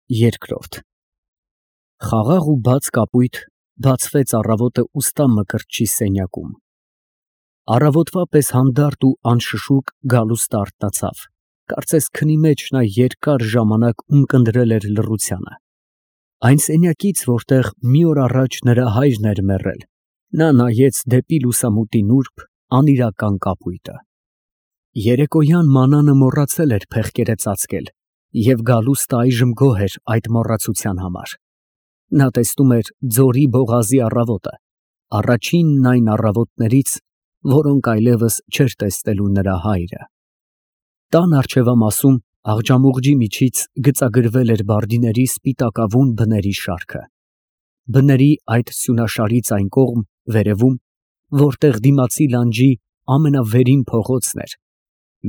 Երկրորդ Խաղաղ ու բաց կապույտ բացվեց առավոտը ուստա Մկրտչի սենյակում։ Առավոտվա պես հանդարտ ու անշշուկ Գալուստը արթնացավ, կարծես քնի մեջ նա երկար ժամանակ ունկնդրել էր լռությանը։ Այն սենյակից, որտեղ մի օր առաջ նրա հայրն էր մեռել, նա նայեց դեպի լուսամուտի նուրբ, անիրական կապույտը։ Երեկոյան մանանը մոռացել էր փեղկերը ծածկել, և Գալուստը այժմ գոհ էր այդ մոռացության համար։ Նա տեսնում էր ձորի բողազի առավոտը, առաջինն այն առավոտներից, որոնք այլևս չէր տեսնելու նրա հայրը։ Տան առջևամասում աղջամուղջի միջից գծագրվել էր բարդիների սպիտակավուն բների շարքը։ Բների այդ սյունաշարից այն կողմ, վերևում, որտեղ դիմացի լանջի ամենավերին փողոցն էր,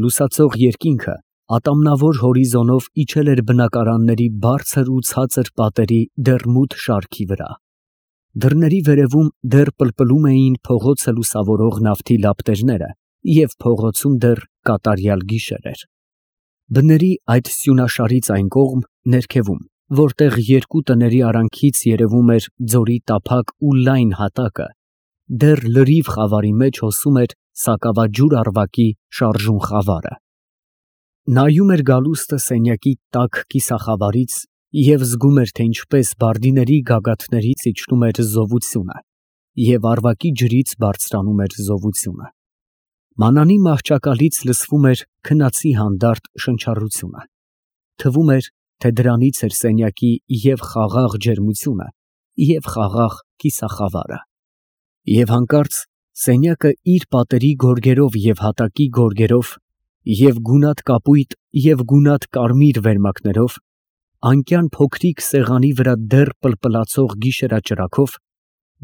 լուսացող երկինքը ատամնավոր հորիզոնով իջել էր բնակարանների բարձր ու ցածր պատերի դեռ մութ շարքի վրա։ Դռների վերևում դեռ պլպլում էին փողոցը լուսավորող նավթի լապտերները, և փողոցում դեռ կատարյալ գիշեր էր։ Բների այդ սյունաշարից այն կողմ, ներքևում, որտեղ երկու տների արանքից երևում էր ձորի տափակ ու լայն հատակը, դեռ լրիվ խավարի մեջ հոսում էր սակավաջուր առվակի շարժուն խավարը։ Նայում էր Գալուստը սենյակի տաք կիսախավարից և զգում էր, թե ինչպես բարդիների գագաթներից իջնում էր զովությունը և առվակի ջրից բարձրանում էր զովությունը։ Մանանի մահճակալից լսվում էր քնածի հանդարտ շնչառությունը։ Թվում էր, թե դրանից էր սենյակի և խաղաղ ջերմությունը, և խաղաղ կիսախավարը։ Եվ հանկարծ սենյակը իր պատերի գորգերով և հատակի գորգերով, և գունատ կապույտ և գունատ կարմիր վերմակներով, անկյան փոքրիկ սեղանի վրա դեռ պլպլացող գիշերաճրագով,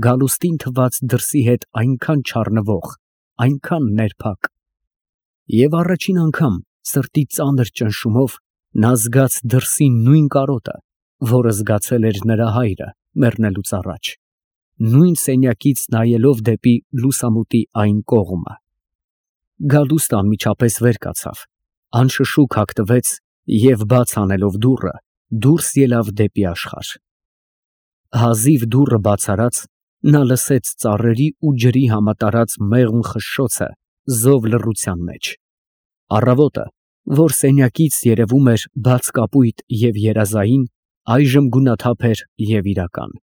Գալուստին թվաց դրսի հետ այնքան չառնվող, այնքան ներփակ։ Եվ առաջին անգամ սրտի ծանր ճնշումով նա զգաց դրսի նույն կարոտը, որը զգացել էր նրա հայրը մեռնելուց առաջ, նույն սենյակից նայելով դեպի լուսամուտի այն կողմը։ Գալուստը անմիջապես վեր կացավ, անշշուկ հագնվեց և, բաց անելով դուռը, դուրս ելավ դեպի աշխարհ։ Հազիվ դուռը բաց արած, նա լսեց ծառերի ու ջրի համատարած մեղմ խշշոցը զով լռության մեջ։ Առավոտը, որ սենյակից երևում էր բաց կապույտ և երազային, այժմ գունաթափ էր և իրական։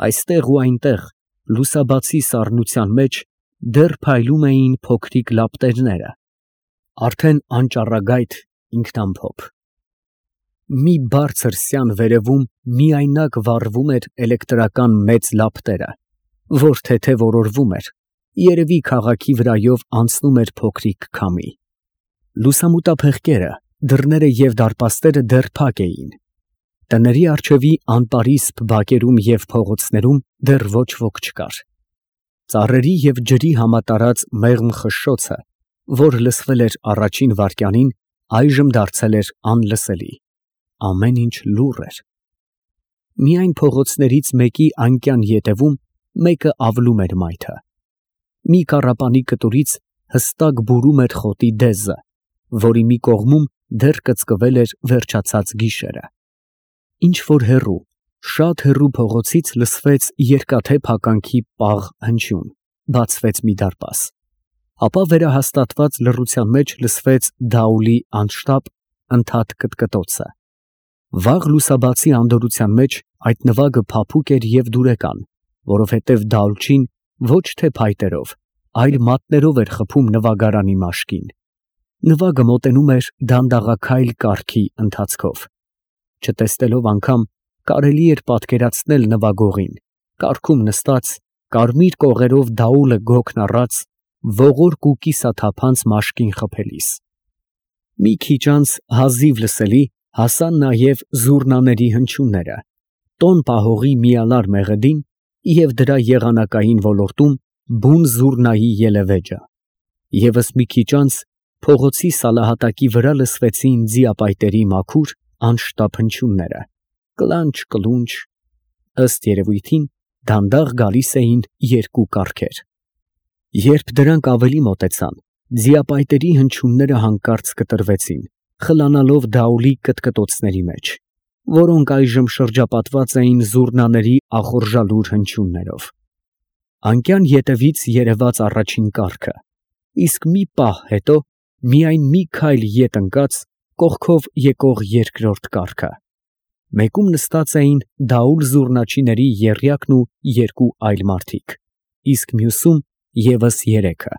Այստեղ ու այնտեղ, լուսաբացի սառնության մեջ, դեռ փայլում էին փոքրիկ լապտերները, արդեն անճառագայթ, ինքնամփոփ։ Մի բարձր սյան վերևում միայնակ վառվում էր էլեկտրական մեծ լապտերը, որ թեթև օրորվում էր, երևի քաղաքի վրայով անցնում էր փոքրիկ քամի։ Լուսամուտափեղկերը, դռները և դարպասները դեռ փակ էին։ Տների առջևի անպարիսպ բակերում և փողոցներում դեռ ոչ ոք չկար։ Ծառերի և ջրի համատարած մեղմ խշշոցը, որ լսվել էր առաջին վայրկյանին, այժմ դարձել էր անլսելի։ Ամեն ինչ լուռ էր։ Միայն փողոցներից մեկի անկյան ետևում մեկը ավլում էր մայթը։ Մի քառապանի կտուրից հստակ բուրում էր խոտի դեզը, որի մի կողմում դեռ կծկվել էր վերջացած գիշերը։ Ինչ֊որ հեռու, շատ հեռու փողոցից լսվեց երկաթե փականքի պաղ հնչյուն, բացվեց մի դարպաս։ Ապա վերահաստատված լռության մեջ լսվեց դաուլի անշտապ, ընդհատ կտկտոցը։ Վաղ լուսաբացի անդորրության մեջ այդ նվագը փափուկ էր և դուրեկան, որովհետև դաուլչին ոչ թե փայտերով, այլ մատներով էր խփում նվագարանի մաշկին։ Նվագը մոտենում էր դանդաղաքայլ կարգի ընթացքով։ Չտեսնելով անգամ, կարելի էր պատկերացնել նվագողին, կառքում նստած, կարմիր կողերով դաուլը գոգն առած, ողորկ ու կիսաթափանց մաշկին խփելիս։ Մի քիչ անց հազիվ լսելի հասան նաև զուռնաների հնչյունները, տոն պահողի միալար մեղեդին և դրա եղանակային ոլորտում բուն զուռնայի ելևէջը։ Եվս մի քիչ անց փողոցի սալահատակի վրա լսվեցին ձիապայտերի մաքուր, անշտապ հնչյունները, կլանչ֊կլունչ, ըստ երևույթին դանդաղ գալիս էին երկու կառքեր։ Երբ դրանք ավելի մոտեցան, ձիապայտերի հնչյունները հանկարծ կտրվեցին, խլանալով դաուլի կտկտոցների մեջ, որոնք այժմ շրջապատված էին զուռնաների ախորժալուր հնչյուններով։ Անկյան ետևից երևաց առաջին կառքը, իսկ մի պահ հետո միայն մի քայլ ետ ընկած կողքով եկող երկրորդ կառքը։ Մեկում նստած էին դաուլ զուռնաչիների եռյակն ու երկու այլ մարդիկ, իսկ մյուսում ևս երեքը։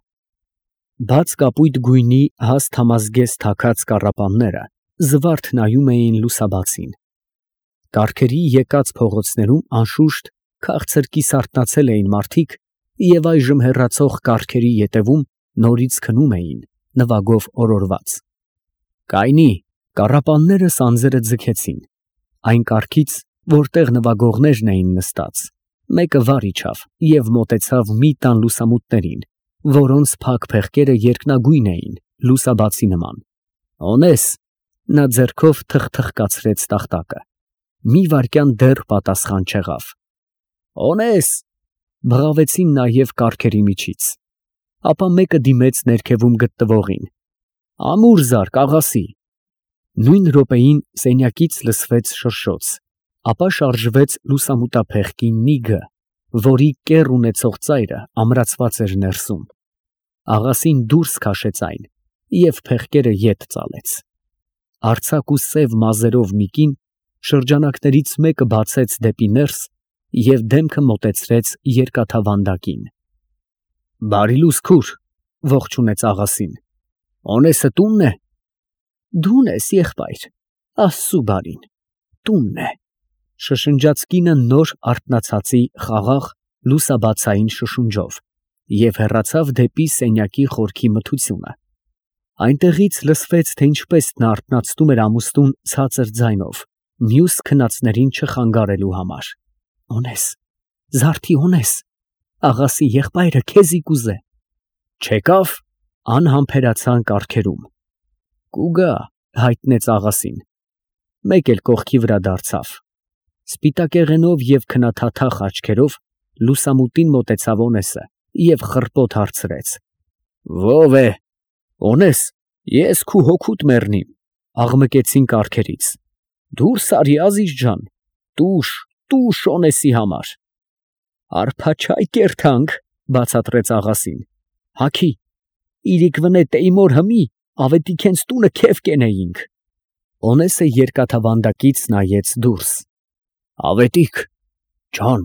Բաց կապույտ գույնի հաստ համազգեստ թաքած կառապանները զվարթ նայում էին լուսաբացին։ Կառքերի եկած փողոցներում անշուշտ քաղցր կիսարթնացել էին մարդիկ և այժմ հեռացող կառքերի ետևում նորից քնում էին, նվագով օրորված։ Կայնի, կառապանները սանձերը ձգեցին։ Այն կառքից, որտեղ նվագողներն էին նստած, մեկը վար իջավ և մոտեցավ մի տան լուսամուտներին, որոնց փակ փեղկերը երկնագույն էին, լուսաբացի նման։ «Օնես», նա ձեռքով թխթխկացրեց տախտակը։ Մի վայրկյան դեռ պատասխան չեղավ։ «Օնես», բղավեցին նաև կառքերի միջից։ Ապա մեկը դիմեց ներքևում գտնվողին. «Ամուր զարկ, աղասի»։ Նույն րոպեին սենյակից լսվեց շրշոց, ապա շարժվեց լուսամուտափեղկի նիգը, որի կեռ ունեցող ծայրը ամրացված էր ներսում։ Աղասին դուրս քաշեց այն և փեղկերը ետ ծալեց։ Արձակ ու սև մազերով մի կին շրջանակներից մեկը բացեց դեպի ներս և դեմքը մոտեցրեց երկաթավանդակին։ «Բարի լույս, քուր», ողջունեց աղասին։ «Օնեսը տունն է»։ «Դուն ես, եղբայր, Աստծու բարին, տունն է», շշնջաց կինը նոր արթնացածի խաղաղ լուսաբացային շշունջով և հեռացավ դեպի սենյակի խորքի մթությունը։ Այնտեղից լսվեց, թե ինչպես նա արթնացնում էր ամուսնուն ցածր ձայնով, մյուս քնածներին չխանգարելու համար։ «Օնես, զարդի Օնես, աղասի եղբայրը քեզի կուզե»։ «Չեկավ», անհամբերացան կառքերում։ «Կուգա», հայտնեց աղասին։ Մեկ էլ կողքի վրա դարձավ։ Սպիտակեղենով և քնաթաթախ աչքերով լուսամուտին մոտեցավ Օնեսը և խռպոտ հարցրեց. «Ո՞վ է»։ «Օնես, ես քու հոգուդ մեռնիմ», աղմկեցին կառքերից։ «Դուրս արի, Ազիզ ջան, տուշ, տուշ Օնեսի համար»։ «Արփաչայ կերթանք», բացատրեց աղասին։ «Հագի, իրիկ վնե տեյմոր հմի, ավետիք հենց տունը քեֆ կենեինք»։ Օնեսը երկաթավանդակից նայեց դուրս։ «Ավետիք ջան»,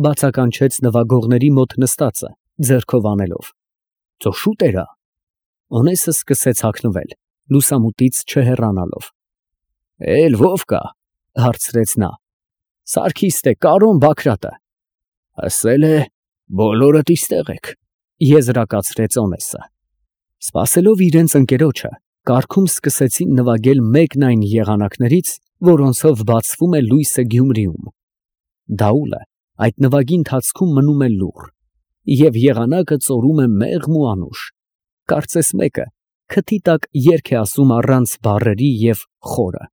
բացականչեց նվագողների մոտ նստածը, ձեռքով անելով։ «Ծո շուտ էրա»։ Օնեսը սկսեց հագնվել, լուսամուտից չհեռանալով։ «Էլ ո՞վ կա», հարցրեց նա։ «Սարգիստ է, Կարոն Բագրատը»։ «Ասել է, բոլորդ իստեղ եք», եզրակացրեց Օնեսը։ Սպասելով իրենց ընկերոջը, կառքում սկսեցին նվագել մեկն այն եղանակներից, որոնցով բացվում է լույսը Գյումրիում։ Դաուլը այդ նվագի ընթացքում մնում է լուռ, և եղանակը ծորում է մեղմ ու անուշ։ Կարծես մեկը քթի տակ երգ է ասում առանց բառերի և խորը։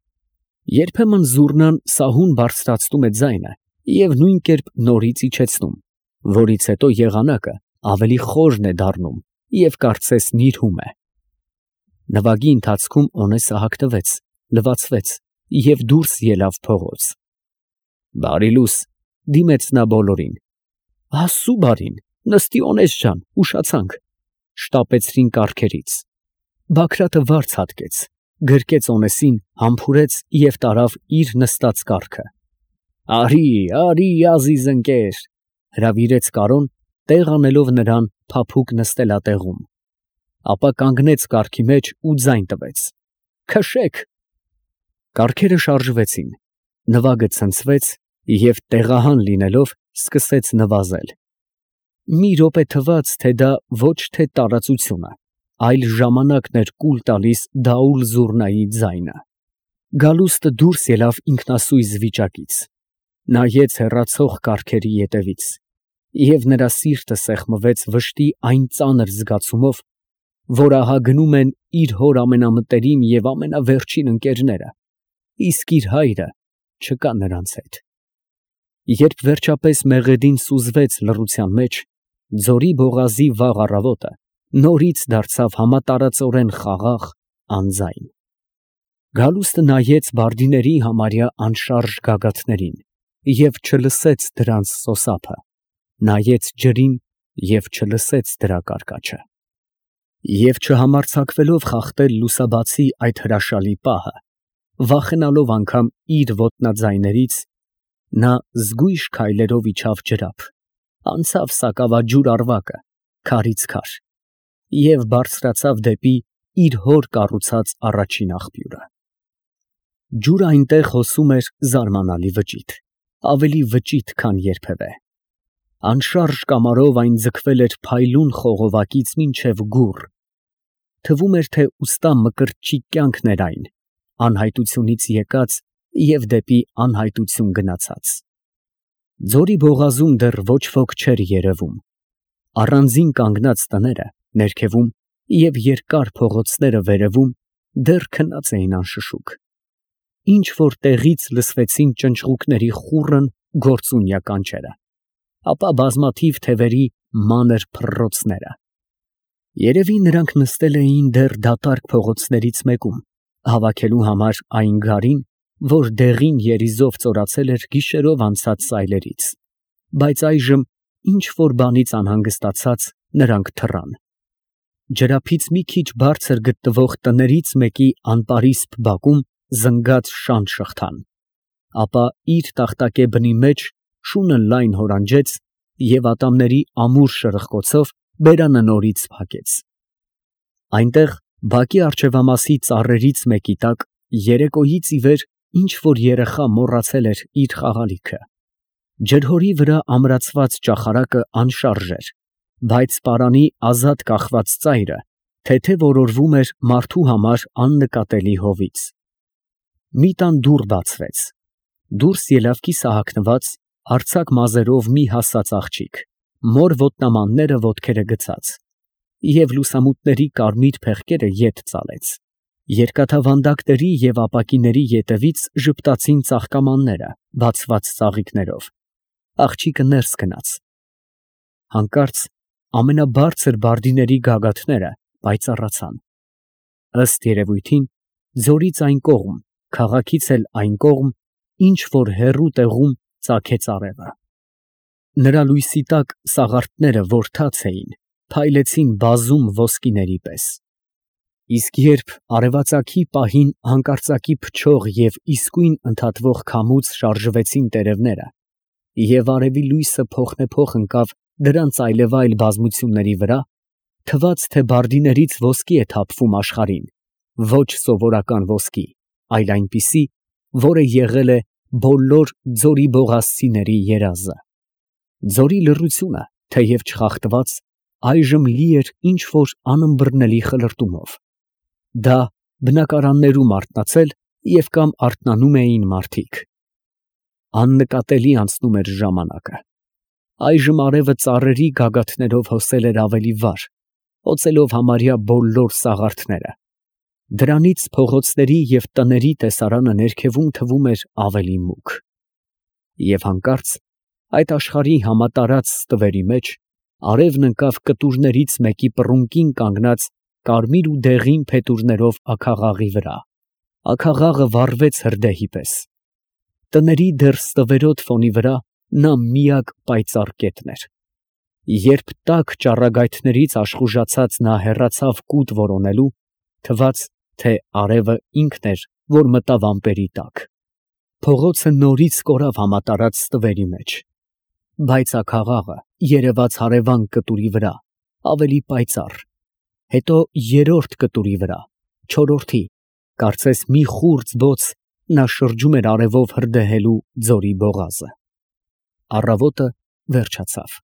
Երբեմն զուռնան սահուն բարձրացնում է ձայնը և նույն կերպ նորից իջեցնում, որից հետո եղանակը ավելի խորն է դառնում և կարծես նիրհում է։ Նվագի ընթացքում Օնեսը հագնվեց, լվացվեց և դուրս ելավ փողոց։ «Բարի լույս», դիմեց նա բոլորին։ «Աստծու բարին, նստի Օնես ջան, ուշացանք», շտապեցրին կառքերից։ Բագրատը վարձ հատկեց, գրկեց Օնեսին, համբուրեց և տարավ իր նստած կառքը։ «Արի, արի, ազիզ ընկեր», հրավիրեց Կարոն, տեղ անելով նրան փափուկ նստելատեղում։ Ապա կանգնեց կառքի մեջ ու ձայն տվեց. «Քշեք»։ Կառքերը շարժվեցին, նվագը ցնցվեց և տեղահան լինելով սկսեց նվազել։ Մի րոպե թվաց, թե դա ոչ թե տարածությունը, այլ ժամանակն էր կուլ տալիս դաուլ զուռնայի ձայնը։ Գալուստը դուրս ելավ ինքնասույզ վիճակից, նայեց հեռացող կառքերի ետևից, և նրա սիրտը սեղմվեց վշտի այն ծանր զգացումով, որ ահա գնում են իր հոր ամենամտերիմ և ամենավերջին ընկերները, իսկ իր հայրը չկա նրանց հետ։ Երբ վերջապես մեղեդին սուզվեց լռության մեջ, ձորի բողազի վաղ առավոտը նորից դարձավ համատարածորեն խաղաղ, անձայն։ Գալուստը նայեց բարդիների համարյա անշարժ գագաթներին և չլսեց դրանց սոսափը, նայեց ջրին և չլսեց դրա կարկաչը։ Եվ չհամարձակվելով խախտել լուսաբացի այդ հրաշալի պահը, վախենալով անգամ իր ոտնաձայներից, նա զգույշ քայլերով իջավ ջրափ, անցավ սակավաջուր ավարակը, քարից քար, և բարձրացավ դեպի իր հոր կառուցած առաջին աղբյուրը։ Ջուրը այնտեղ հոսում էր զարմանալի վճիտ, ավելի վճիտ, քան երբևէ։ Անշարժ կամարով այն ձգվել էր փայլուն խողովակից մինչև գուռ, թվում էր, թե ուստա մկրտչի կյանքն էր այն, անհայտությունից եկած և դեպի անհայտություն գնացած։ Ձորի բողազում դեռ ոչ ոք չէր երևում, առանձին կանգնած տները ներքևում և երկար փողոցները վերևում դեռ քնած էին անշշուկ, ինչ որ տեղից լսվեցին ճնճղուկների խուռն գործունյա կանչերը, ապա բազմաթիվ թևերի մանր փռռոցները։ Երևի նրանք նստել էին դեռ դատարկ փողոցներից մեկում, հավաքելու համար այն գարին, որ դեղին երիզով ծորացել էր գիշերով անցած սայլերից, բայց այժմ ինչ որ բանից անհանգստացած նրանք թռան։ Ջրափից մի քիչ բարձր գտնվող տներից մեկի անպարիսպ բակում զնգած շան շղթան, ապա իր տախտակե բնի մեջ շունը լայն հորանջեց և ատամների ամուր շրխկոցով բերանը նորից փակեց։ Այնտեղ բակի առջևամասի ծառերից մեկի տակ երեկոյից ի վեր ինչ որ երեխա մոռացել էր իր խաղալիքը։ Ջրհորի վրա ամրացված ճախարակը անշարժ էր, բայց պարանի ազատ կախված ծայրը թեթև օրորվում էր մարդու համար աննկատելի հովից։ Մի տան դուռ բացվեց, դուրս ելավ կիսահագնված, արձակ մազերով մի հասած աղջիկ, մոր ոտնամանները ոտքերը գցած, և լուսամուտների կարմիր փեղկերը ետ ծալեց։ Երկաթավանդակների և ապակիների ետևից ժպտացին ծաղկամանները, բացված ծաղիկներով։ Աղջիկը ներս գնաց։ Հանկարծ ամենաբարձր բարդիների գագաթները պայծառացան։ Ըստ երևույթին, ձորից այն կողմ, քաղաքից էլ այն կողմ, ինչ որ հեռու տեղում ծագեց արևը։ Նրա լույսի տակ սաղարթները որդած էին, փայլեցին բազում ոսկիների պես։ Իսկ երբ արևածագի պահին հանկարծակի փչող և իսկույն ընդհատվող քամուց շարժվեցին տերևները, և արևի լույսը փոխնեպոխ ընկավ դրանց այլևայլ բազմությունների վրա, թվաց, թե բարդիներից ոսկի է թափվում աշխարհին, ոչ սովորական ոսկի, այլ այնպիսի, որը եղել է բոլոր ձորի բողազցիների երազը։ Ձորի լռությունը, թեև չխախտված, այժմ լի էր ինչ որ անըմբռնելի խլրտումով։ Դա բնակարաններում արթնացել և կամ արթնանում էին մարդիկ։ Աննկատելի անցնում էր ժամանակը։ Այժմ արևը ծառերի գագաթներով հոսել էր ավելի վար, հոսելով համարյա բոլոր սաղարթները։ Դրանից փողոցների և տների տեսարանը ներքևում թվում էր ավելի մուգ։ Եվ հանկարծ այդ աշխարհի համատարած ստվերի մեջ արևն ընկավ կտուրներից մեկի պռունկին կանգնած կարմիր ու դեղին փետուրներով աքաղաղի վրա։ Աքաղաղը վառվեց հրդեհի պես։ Տների դեռ ստվերոտ ֆոնի վրա նա միակ պայծառ կետն էր։ Երբ տաք ճառագայթներից աշխուժացած նա հեռացավ կուտ որոնելու, թվաց, թե արևը ինքն էր, որ մտավ ամպերի տակ։ Փողոցը նորից կորավ համատարած ստվերի մեջ, բայց աքաղաղը երևաց հարևան կտուրի վրա, ավելի պայծառ, հետո երրորդ կտուրի վրա, չորրորդի, կարծես մի խուրձ բոց նա շրջում էր արևով հրդեհելու ձորի բողազը։ Առավոտը վերջացավ։